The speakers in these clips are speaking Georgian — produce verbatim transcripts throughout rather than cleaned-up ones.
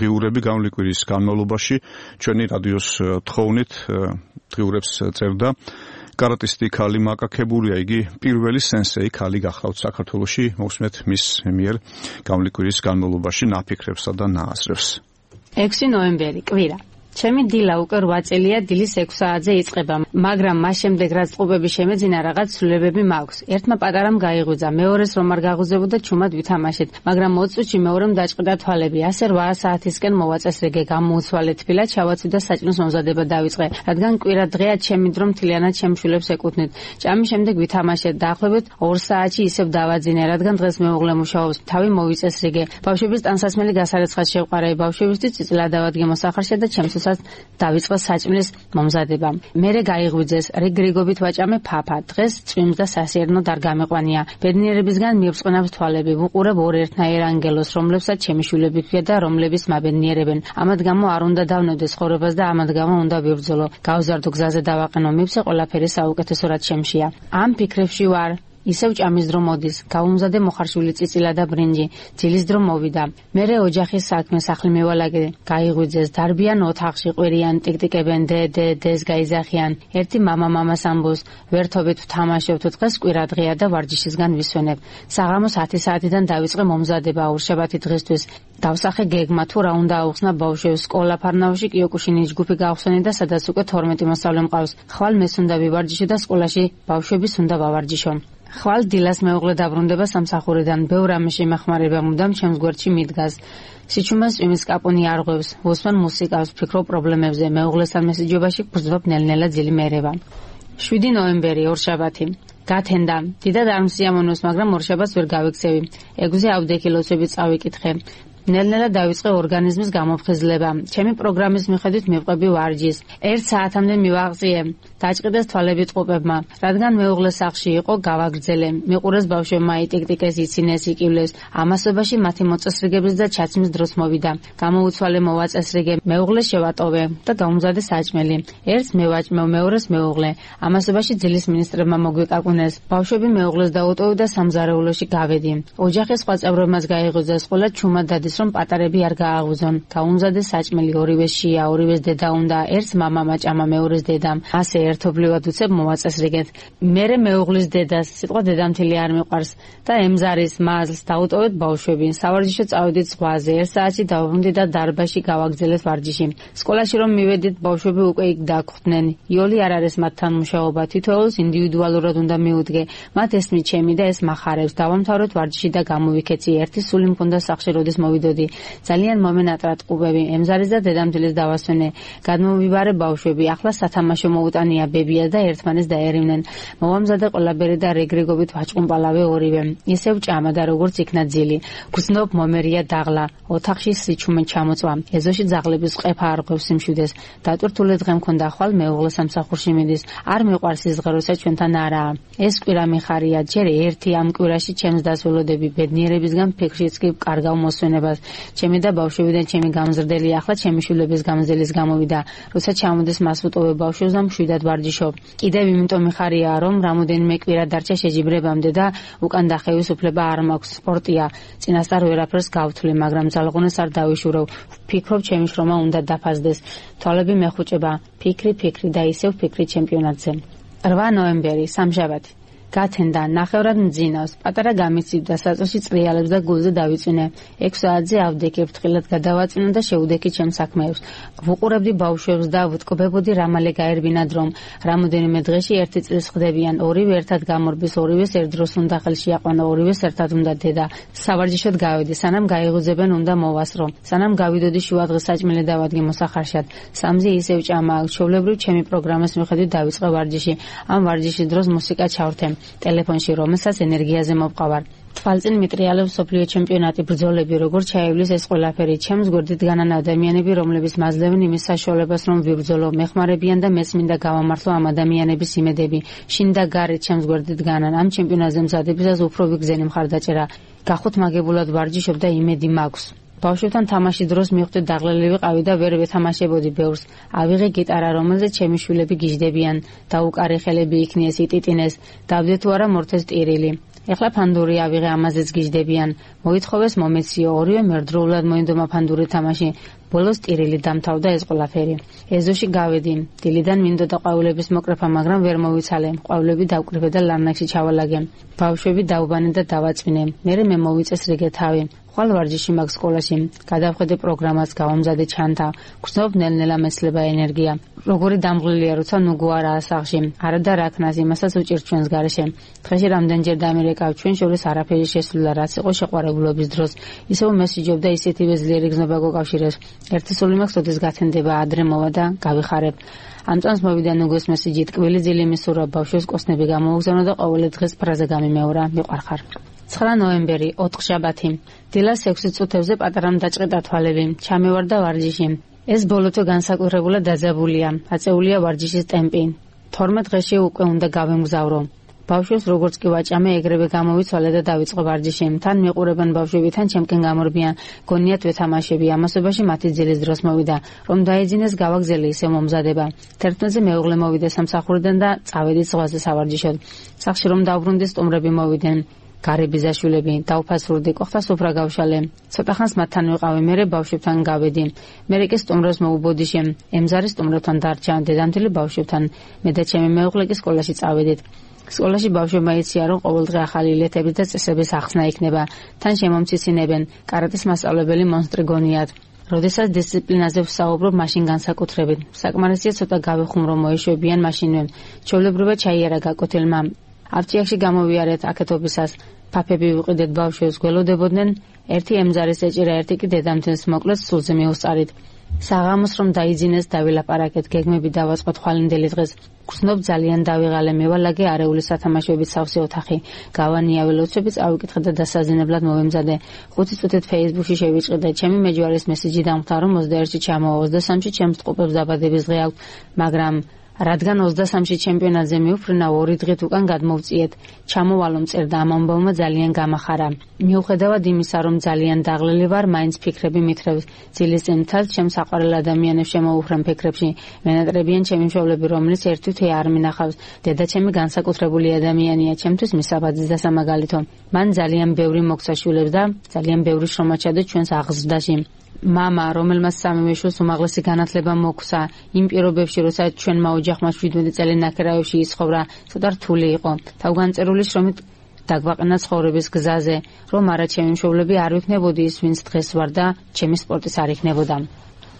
დღიურები გამლი კვირის განმავლობაში ჩვენი რადიოს თხოვნით დღიურებს წერდა კარატისტი ქალი მაკაკებურია, იგი პირველი სენსეი ქალი გახლავთ საქართველოში, მოვსმეთ მის მიერ გამლი კვირის განმავლობაში ნაფიქრებსა და ნააზრევს. ექვსი ნოემბერი, კვირა. ჩემი დილა უკვე რვა წელია, დილის ექვს საათზე იწყება, მაგრამ მას შემდეგ რაც წყუბები შემეძინა, რაღაც ცვლილებები მაქვს. ერთმა პატარამ გაიღვიძა, მეორეს რომ არ გაღუზებოდა, ჩუმად ვითამაშეთ, მაგრამ ოცი წუთში მეორემ დაჭყიდა თვალები. ასე რვა საათისკენ მოვაწესრიგე, გამოუცვალე თბილად, ჩავაცვი და საჭმლის მომზადება დავიწყე, რადგან კვირა დღეა, ჩემი დრო მთლიანად ჩემ შვილებს ეკუთვნით. ჭამის შემდეგ ვითამაშეთ, დაახლოებით ორ საათში ისევ დავაძინე, რადგან დღეს მეუღლე მუშაობს, თავი მოვიწესრიგე. ბავშვების ტანსაცმელი გასარეცხად შევყარე, ბავშვებისთვის წიწილა დავადგე მოსახარშე და ჩემს დავიწყე საჭმლის მომზადება. მერე გაიღვიძეს, რიგრიგობით ვაჭამე ფაფა. დღეს წვიმს და სასიერნოდ არ გამეყვანია. ბედნიერებისგან მიებრწყინავს თვალები. ვუყურებ ორ ერთნაირ ანგელოს, რომლებსაც ჩემი შვილები ჰქვია და რომლების მაბედნიერებენ. ამად გამო არ უნდა დავნებდე ცხოვრებას და ამად გამო უნდა ვიბრძოლო. გავზარდო გზაზე დავაყენო, მივცე ყველაფერი საუკეთესოდ ჩემშია. ამ ფიქრებში ვარ. ისევ ჭამის დრო მოდის, გავუმზადე მოხარშული წიწილა და ბრინჯი, ძილის დრო მოვიდა. მერე ოჯახის საქმე სახლი მევალაგე, გაიღვიძეს, დარბიან ოთახში, ყვირიან, ტიკტიკებენ, დე დე დეს გაიზახიან. ერთი მამა მამას ამბობს, ვერთობით ვთამაშებთ, დღეს კვირა დღეა და ვარჯიშისგან ვისვენებ. საღამოს ათი საათიდან დავიწყე მომზადება ორშაბათი დღისთვის. დავსახე გეგმა თუ რა უნდა აუხსნა ბავშვებს, სკოლა ფარნავში კიოკუშინის ჯგუფი გავხსენე და სადაც უკვე თორმეტი მოსწავლე მყავს. ხვალ მეს უნდა ვივარჯიშო და სკოლაში ბავშვების უნდა ვავარჯიშო. ხვალ დილას მეუღლე დაბრუნდება სამსახურიდან, ბევრ ამის შემახმარება მუდამ ჩემს გვერდში მიდგას. სიჩუმეს წვიმის კაპონი არღვევს, ვუსმენ მუსიკას, ვფიქრობ პრობლემებზე, მეუღლესთან მესიჯობაში გვძვებ ნელ-ნელა ძილი მერევა. შვიდი ნოემბერი, ორშაბათი. გათენდა, დიდად არ მსიამოვნოს, მაგრამ ორშაბათს ვერ გავიქცევი. ექვსზე ავდექილოცები წავიკითხე. ნელ-ნელა დავიწყე ორგანიზმის გამოფხიზლება. ჩემი პროგრამის მიხედვით მივყვები ვარჯიშს. ერთ საათამდე მივაღწიე. დაჭყიდეს თვალები წყუბებმა. რადგან მეუღლე სახლში იყო, გავაგრძელე. მიყურეს ბავშვებმა, იტიკტიკეს, იცინეს, იკივლეს. ამასობაში მათი მოწესრიგების და ჩაცმის დროს მოვიდა. გამოუცვალე, მოვაწესრიგე, მეუღლეს შევატოვე და გამომზადე საჭმელი. ერთს მევაჭმევ, მეორეს მეუღლე. ამასობაში ძილის მინისტრებმა მოგვიკაკუნეს. ბავშვები მეუღლეს დაუტოვე და სამზარეულოში გავედი. ოჯახის სხვა წევრებმაც გაიღვიძეს, ყველა ჩუმად დადის რომ პატარები არ გააღვიძონ. გაუმზადე საჭმელი, ორივე შია, ორივეს დედა უნდა, ერთს მამამ აჭამა, მეორეს დედამ. ასე ერთობლივად უცებ მოვაწესრიგეთ. მერე მეუღლის დედას, სიტყვა დედამთილი არ მიყვარს და ემზარის მაზლს დაუტოვეთ ბავშვები. სავარჯიშო წავედით ზღვაზე, ერთ საათში დავბრუნდი და დარბაზში გავაგრძელეთ ვარჯიში. სკოლაში რომ მივედით, ბავშვები უკვე იქ დაგხვდნენ. იოლი არ არის მათთან მუშაობა, თითოეულს ინდივიდუალურად უნდა მიუდგე. მათ ესმით ჩემი და ეს მახარებს. დავამთავრეთ ვარჯიში და გამოვიქეცი. ერთი სული მქონდა სახლში, როდის მოვიდოდი. ძალიან მომენატრა ტყუბები, ემზარის და დედამთილის დავასვენე. გადმოვიბარე ბავშვები, ახლა სათამაშო მოუტანია ბებია და ერთმანეს დაერივნენ. მოვამზადე ყველაბერი და რეგრიგობით ვაჭყუმპალავე ორივე. ისევ ჭამა და როგორც იქნა ძილი. გრძნობ მომერია დაღლა, ოთახში სიჩუმე ჩამოწვა. ეზოში ძაღლების ყეფა არღვევს სიმშვიდეს. დატვირთული დღე მქონდა, ხვალ მეუღლე სამსახურში მიდის. არ მიყვარს ის დღე, როცა ჩვენთან არაა. ეს კვირა მიხარია, ჯერ ერთი ამ კვირაში ჩემს დასველოდები, ბედნიერებისგან ფიქრშიც კი კარგავ მოსვენებას. ჩემი და ბავშვებიდან ჩემი გამზრდელი, ახლა ჩემი შვილების გამზრდელის გამოვიდა. როცა ჩამოდის მას ვუტოვებ ბავშვებს და მშვიდად ვარჯიშობ. კიდევ იმიტომ მიხარია, რომ რამოდენიმე კვირა დარჩა შეჯიბრებამდე და უკან დახევის უფლება არ მაქვს. სპორტია, წინასწარ ვერაფერს გავთვლი, მაგრამ ძალღონეს არ დავიშურო. ვფიქრობ, ჩემი შრომა უნდა დაფასდეს. თვალები მეხუჭება, ფიქრი, ფიქრი და ისევ ფიქრი ჩემპიონატზე. რვა ნოემბერი, სამშაბათი. გათენდა, ნახევრად მძინავს, პატარა გამიცივდა, საწოლში წრიალებს და გულზე დავიწვინე. ექვს საათზე ავდექი, ფრთხილად გადავაწვინე და შევუდექი ჩემს საქმეებს. ვუყურებდი ბავშვებს და ვუტკბებოდი რა მალე გაერბინა დრომ. რამოდენიმე დღეში ერთი წლის ხდებიან, ორივე ერთად გამორბის, ორივეს ერთ დროს უნდა ხელში აყვანო, ორივეს ერთად უნდა დედა. სავარჯიშოდ გავედი, სანამ გაიღუძებენ უნდა მოვასრო. სანამ გავიდოდი შუადღეს საჭმელი დავადგე მოსახარშად. სამზე ისევ ჭამა, ჩვეულებრივ ჩემი პროგრამის მიხედვით დავიწყე ვარჯიში. ამ ვარჯიშის დროს მუსიკა ჩავრთე. ტელეფონში რომელსაც ენერგიაზე მოვყავარ. თვალწინ მიტრიალებს სოფლიო ჩემპიონატი, ბრძოლები, როგორ ჩაივლის ეს ყველაფერი. ჩემს გვერდით განან ადამიანები, რომლებიც მაძლევენ იმის საშუალებას, რომ ვიბრძოლო, მეხმარებიან და მეც მინდა გავამართლო ამ ადამიანების იმედები. შინ და გარეთ ჩემს გვერდით განან ამ ჩემპიონატზე მზადებისას უფრო ვიგზენი მხარდაჭერა. გახუთმაგებულად ვარჯიშობ და იმედი მაქვს. ბავშვებთან თამაშის დროს მივხვდი დაღლილი ვიყავი და ვერ ვეთამაშებოდი ბევრს. ავიღე გიტარა, რომელზეც ჩემი შვილები გიждდებიან. დაუკარე ხელები იქნიეს, იტიტინეს. დავდე თუ არა მორთეს ტირილი. ეხლა ფანდური ავიღე, ამაზეც გიждდებიან. მოითხოვეს მომეციო, ორივე მერდროულად მოინდომა ფანდური თამაში. ბოლოს ტირილი დამთავრდა ეს ყველაფერი. ეზოში გავედი. დილიდან მინდოდა ყვავილების მოკრეფა, მაგრამ ვერ მოვიცალე. ყვავილები დავკრიფე და ლარნაკში ჩავალაგე. ბავშვები დაუბანე და დავაწვინე. მერე მე მოვიწეს რიგე თავი. ხვალ ვარჯიში მაქვს სკოლაში. გადავხედე პროგრამას, გავამზადე ჩანთა. გრძნობ ნელ-ნელა მეცლება ენერგია. როგორი დამღლილია, როცა ნუგო არაა სახლში. არა და რა ქნას, იმასაც უჭირთ ჩვენს გარეშე. დღეში რამდენჯერ დამირეკავ, ჩვენ შორის არაფერი შესულა, რაც იყო შეყვარებულობის დროს. ისევ მესიჯობდა, ისეთივე ძლიერი გზნობა გოკავშირებს. ერთი სული მაქვს, ოდეს გათენდება, ადრე მოვა და გავიხარებ. ამ წამს მოვიდა ნუგოს მესიჯი, ტკბილი ძილი მისურვა, ბავშვებს კოსნები გამოუგზავნა და ყოველი დღეს ფრაზა გამიმეორა, მიყვარხარ. ცხრა ნოემბერი, ოთხშაბათი. დილას ექვსი წუთებზე პატარამ დაჭყიდა თვალები. ჩამევარდა ვარჯიში. ეს ბოლოთო განსაკუთრებულად დაძაბულია. აწეულია ვარჯიშის ტემპი. თორმეტ დღეში უკვე უნდა გავემგზავრო. ბავშვებს როგორც კი ვაჭამე, ეგრევე გამოვიცვალე და დავიწყო ვარჯიში. თან მიყურებენ ბავშვები, თან ჩემკენ გამორბიან. გონიათ ვეთამაშები. ამასობაში მათი ძილის დროს მოვიდა. რომ დაეძინეს გავაგზელი ისე მომზადება. თერთმეტზე მეუღლე მოვიდა სამსახურიდან და წავედით ზღვაზე სავარჯიშოდ. სახლში რომ დავბრუნდი, სტუმრები მოვიდნენ. გარე ბიზაშვილები, დავფასურდი, კოხთა სუფრა გავშალე. ცოტა ხანს მათთან ვიყავი, მერე ბავშვებთან გავედი. მერე კი სტუმრებს მოუბოდიშე. ემზარი სტუმრებთან დარჩა, დედამთილი ბავშვებთან. მე და ჩემი მეუღლე კი სკოლაში წავედით. სკოლაში ბავშვებმა იციან, რომ ყოველდღე ახალი ილეთების და წესების ახსნა იქნება. თან შემომციცინებენ. კარატეს მასწავლებელი მონსტრი გონიათ. როდესაც დისციპლინაზე ვსაუბრობ, მაშინ განსაკუთრებით. საკმარისია ცოტა გავიხუმრო, მოეშვებიან მაშინვე. ჩვეულებრივად ჩაიარა გაკოთილმა. აფჭიაქში გამოვიარეთ აკეთობისას. ფაფები ვიყიდეთ ბავშვებს, გველოდებოდნენ. ერთი ემზარის ეჭირა, ერთი კი დედამთილს, მოკლედ სულზე მიუსწარით. საღამოს რომ დაიძინეს, დავილაპარაკეთ, გეგმები დავაწყოთ ხვალინდელი დღეს. გრძნობ ძალიან დავიღალე, მევალაგე არეული სათამაშოებით სავსე ოთახი. გავანიავე ლოცვები, წავიკითხე და დასაზინებლად მოვემზადე. ხუთი წუთით Facebook-ში შევიჭყიდე. ჩემი მეჯვარის მესიჯი დამხვდა, რომ ოცდაერთში ჩამოვა, ოცდასამში ჩემს ტყუპებს დაბადების დღე აქვს, მაგრამ რადგან ოცდასამში ჩემპიონატზე მივფრინა, ორი დღით უკან გადმოვწიეთ. ჩამოვალო წერდა ამ ამბავმა ძალიან გამახარა. მიუხედავად იმისა, რომ ძალიან დაღლილი ვარ, მაინც ფიქრები მითხრებს. ძილის წინ მთელ ჩემს საყვარელ ადამიანებს შემოუხრენ ფიქრებში. მენატრებიან ჩემი მშობლები, რომლის ერთთვით არ მინახავს. დედა ჩემი განსაკუთრებული ადამიანია, ჩემთვის მისაბაძის და სამაგალითო. მან ძალიან ბევრი მოგცა შვილებს და ძალიან ბევრი შრომა ჩადო ჩვენს აღზრდაში. მამა, რომელმაც სამივე შვილს უმაღლესი განათლება მოგვცა, იმ პირობებში, როცა ჩვენმა ოჯახმა შვიდმეტი წელი ნაქერავებში იცხოვრა, ცოტა რთული იყო. თავგანწერული შრომით დაგვაყენა ცხოვრების გზაზე, რომ არა ჩემი მშობლები არ ვიქნებოდი ის, ვინც დღეს ვარ და ჩემი სპორტის არ იქნებოდა.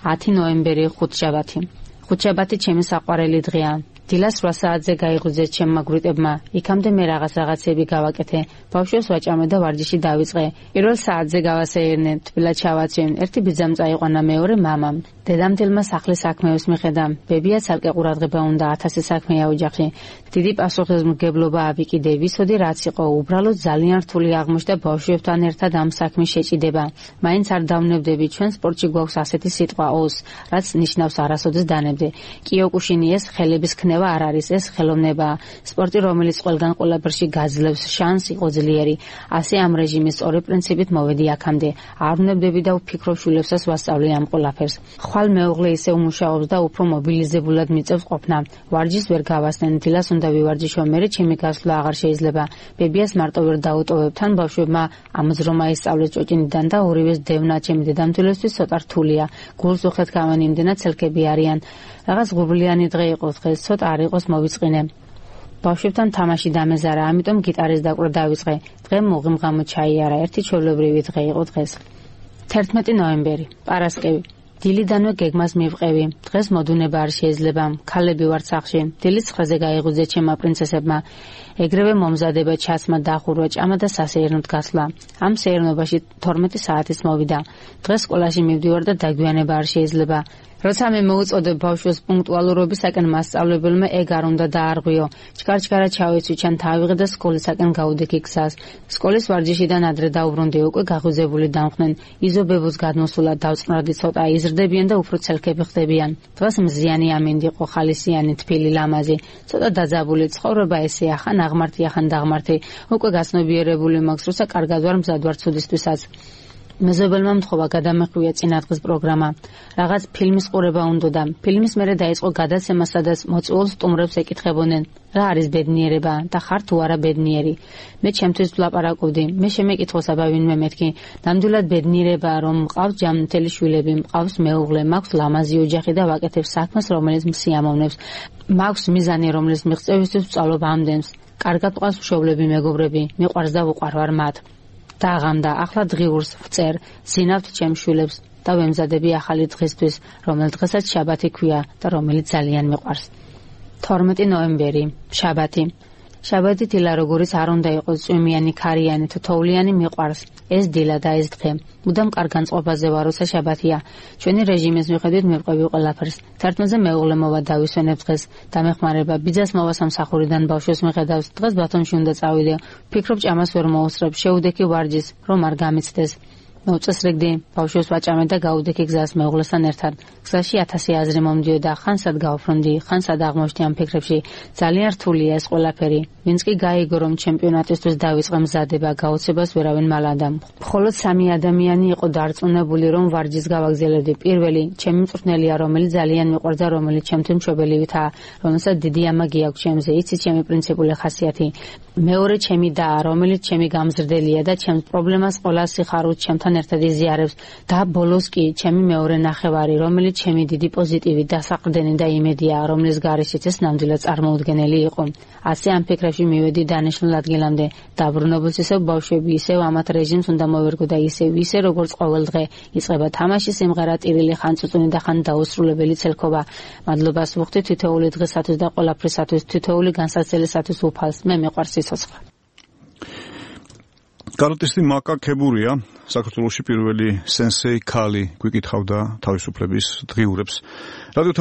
ათი ნოემბერი, ხუთშაბათი. ხუთშაბათი ჩემი საყვარელი დღეა. დილას რვა საათზე გაიღვიძეთ ჩემმა გვიტებმა. იქამდე მე რაღაც რაღაცები გავაკეთე. ბავშვებს ვაჭამე და ვარჯიში დავიწყე. პირველ საათზე გავასეირნე, თბილად ჩავაცვი. ერთი ბიძამ წაიყვანა, მეორე მამამ. დედამთილმა სახლის საქმეებს მიხედა. ბებია ცალკე ყურადღება უნდა, ათასი საქმეა ოჯახში. დიდი პასუხისმგებლობა ავიკიდე. ვიცოდი რაც იყო, უბრალოდ ძალიან რთული აღმოჩნდა ბავშვებთან ერთად ამ საქმის შეჭიდება. მაინც არ დავნებდები, ჩვენ სპორტში გვაქვს ასეთი სიტყვა ოს, რაც ნიშნავს არასოდეს დანებდე. კიოკუშინი ეს ხელების ქნება არ არის, ეს ხელოვნებაა. სპორტი, რომელიც ყველგან ყველაფერში გაძლევს, შანს იყო ძლიერი. ასე ამ რეჟიმის სწორი პრინციპით მოვედი აქამდე. არ ვნებდები და ვფიქრობ შვილებსაც ვასწავლე ამ ყველაფერს. ხვალ მეუღლე ისე უმუშაობს და უფრო მობილიზებულად მიწევს ყოფნა. ვარჯიშს ვერ გავასწენ, დილას უნდა ვივარჯიშო, მერე ჩემი გასვლა აღარ შეიძლება. ბებიას მარტო ვერ დაუტოვებ, თან ბავშვებმა ამაზრომა ისწავლეს ჭოჭინიდან და ორივეს დევნა ჩემი დედამთილისთვის ცოტა რთულია. გულს უხეთ გავენ, იმდენად ცელკები არიან. რაღაც ღრუბლიანი დღე იყო დღეს, ცოტა არ იყოს მოვიწყინე. ბავშვებთან თამაში დამეზარა, ამიტომ გიტარის დაკვრა დავიწყე. დღე მოღიმღამო ჩაიარა, ერთი ჩვეულებრივი დღე იყო დღეს. თერთმეტი ნოემბერი, პარასკევი. დილიდანვე გეგმას მივყევი. დღეს მოდუნება არ შეიძლება. ქალები ვართ სახლში. დილის ცხრაზე გაიღვიძეთ ჩემმა პრინცესებმა. ეგრევე მომზადება, ჩაცმა, დახურვა, ჭამა და სასეირნოდ გასვლა. ამ სეირნობაში თორმეტი საათის მოვიდა. დღეს სკოლაში მივდივარ და დაგვიანება არ შეიძლება. როცა მე მოუწოდებ ბავშვებს პუნქტუალურობისაკენ, მასწავლებელმა ეგ არ უნდა დაარღვიო. ჩქარ-ჩქარა ჩავეცვი, ჩან თავიღე და სკოლისაკენ გავუდექი გზას. სკოლის ვარჯიშიდან ადრე დაუბრუნდი, უკვე გაღვიძებული დამხნენ. იზობებოს გადმოსულა, დავწყნარდი ცოტა, იზრდებიან და უფრო ცელქები ხდებიან. დღეს მზიანი ამინდი იყო, ხალისიანი, თბილი, ლამაზი. ცოტა დაძაბული ცხოვრება ესეა, ხან აღმართი, ხან დაღმართი. უკვე გასნობიერებული მაქვს, როცა კარგად ვარ, მზად ვარ ცუდისთვისაც. მეზობელმა მთხოვა გადამეხვია წინადღის პროგრამა. Რაღაც ფილმის ყურება უნდოდა. ფილმის მერე დაიწყო გადაცემა, სადაც მოწვეულ სტუმრებს ეკითხებოდნენ, რა არის ბედნიერება და ხარ თუ არა ბედნიერი. მე ჩემთვის ვლაპარაკობდი. მე შემეკითხოს აბა ვინმე მეთქი, ნამდვილად ბედნიერება რომ მყავს ჯანმრთელი შვილები, მყავს მეუღლე, მაქვს ლამაზი ოჯახი და ვაკეთებ საქმეს, რომელიც მსიამოვნებს. მაქვს მიზანი, რომლის მიღწევისთვის ვწავლობ ამდენს. კარგად მყავს მშობლები, მეგობრები, მიყვარს და ვუყვარვარ მათ. დაღამდა, ახლა დღიურს ვწერ, ზინავთ ჩემ შვილებს და ვემზადები ახალი დღისთვის, რომელ დღესაც შაბათი ქვია და რომელიც ძალიან მიყვარს. თორმეტი ნოემბერი, შაბათი. შაბათი დილა როგორიც არ უნდა იყოს წვიმიანი, ქარიანი, თითოეული მიყვარს. ეს დილა და ეს დღე. მუდამ კარგ განწყობაზე ვარ, როცა შაბათია. ჩვენი რეჟიმის მიხედვით მივყვები ყველაფერს. თერთმეტზე მეუღლე მოვა დავისვენებ დღეს. დამეხმარება, ბიძას მოვა სამსახურიდან ბავშვს მიხედავს. დღეს ბათუმში უნდა წავიდე. ვფიქრობ ჭამას ვერ მოუსწრებ, შეუდექი ვარჯის, რომ არ გამიცდეს. მოუწესრიგდი, ბავშვს ვაჭამე და გავუდექი გზას მეუღლესთან ერთად. გზაში ათასი აზრი მომდიოდა, ხან სად გავფრონდი, ხან სად აღმოჩნდი ამ ფიქრებში. ძალიან რთულია ეს ყველაფერი. ვინც კი გაიგო, რომ ჩემპიონატისთვის დავიწყე მზადება, გაუცებას ვერავინ მალადა. მხოლოდ სამი ადამიანი იყო დარწმუნებული, რომ ვარჯის გავაგზელებდი. პირველი, ჩემი მწვრთნელია, რომელიც ძალიან მიყვარს და რომელიც ჩემთვის მშობელივითა, რომელსაც დიდი ამაგი აქვს ჩემზე, იცი ჩემი პრინციპული ხასიათი. მეორე, ჩემი და, რომელიც ჩემი გამზრდელია და ჩემს პრობლემას ყველა სიხარულით ჩემთან ერთად იზიარებს და ბოლოს კი ჩემი მეორე ნახევარი, რომელიც ჩემი დიდი პოზიტივი, დასაყრდენი და იმედია, რომლის გარეშეც ეს ნამდვილად წარმოუდგენელი იყო. ასე ამ ფიქრებში მივედი დანიშნულ ადგილამდე. დაბრუნებულს ისევ ბავშვები, ისევ ამათ რეჟიმს უნდა მოვერგო და ისევ ისე როგორც ყოველ დღე იწყება თამაში, სიმღერა, ტირილი, ხან წუწუნი და ხან დაუსრულებელი ცელქობა. მადლობას ვუხდი თითოეული დღესათვის და ყველაფრისათვის, თითოეული განსაცდელისათვის უფალს. მე მიყვარს სიცოცხლე. კარატისტი მაკა ქებურია საქართველოში პირველი სენსეი ქალი გვიკითხავდა თავისუფლების დღიურებს. რადიო